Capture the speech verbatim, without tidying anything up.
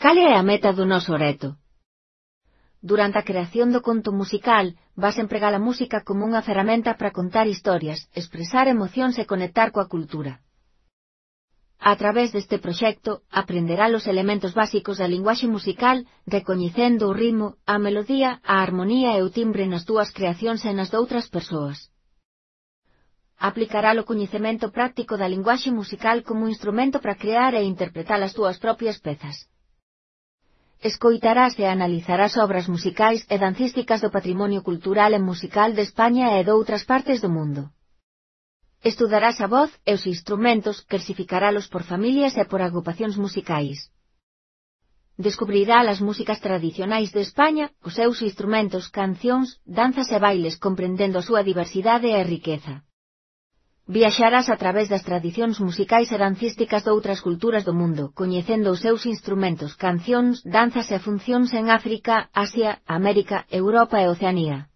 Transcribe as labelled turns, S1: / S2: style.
S1: Cal é a meta do noso reto? Durante a creación do conto musical, vas empregar a música como unha ferramenta para contar historias, expresar emocións e conectar coa cultura. A través deste proxecto, aprenderá os elementos básicos da linguaxe musical, recoñecendo o ritmo, a melodía, a armonía e o timbre nas túas creacións e nas doutras persoas. Aplicará o coñecemento práctico da linguaxe musical como instrumento para crear e interpretar as túas propias pezas. Escoitarás e analizarás obras musicais e dancísticas do patrimonio cultural e musical de España e doutras partes do mundo. Estudarás a voz e os instrumentos, clasificaralos por familias e por agrupacións musicais. Descubrirá as músicas tradicionais de España, os seus instrumentos, cancións, danzas e bailes comprendendo a súa diversidade e riqueza. Viaxarás a través das tradicións musicais e dancísticas de outras culturas do mundo, coñecendo os seus instrumentos, cancións, danzas e funcións en África, Asia, América, Europa e Oceanía.